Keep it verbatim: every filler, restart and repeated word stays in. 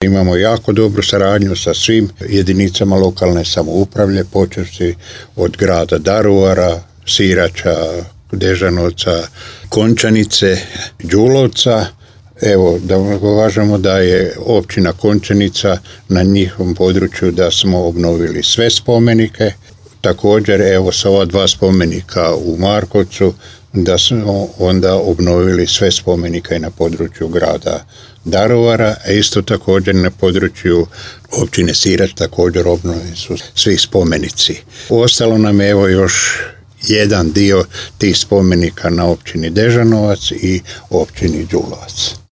Imamo jako dobru saradnju sa svim jedinicama lokalne samouprave, počevši od grada Daruvara, Sirača, Dežanovca, Končanice, Đulovca. Evo, da uvažamo da je općina Končanica na njihovom području da smo obnovili sve spomenike. Također, evo, sa ova dva spomenika u Markovcu, da smo onda obnovili sve spomenike na području grada Daruvara, a isto također na području općine Sirač također obnovljeni su svi spomenici. Ostalo nam je evo još jedan dio tih spomenika na općini Dežanovac i općini Đulovac.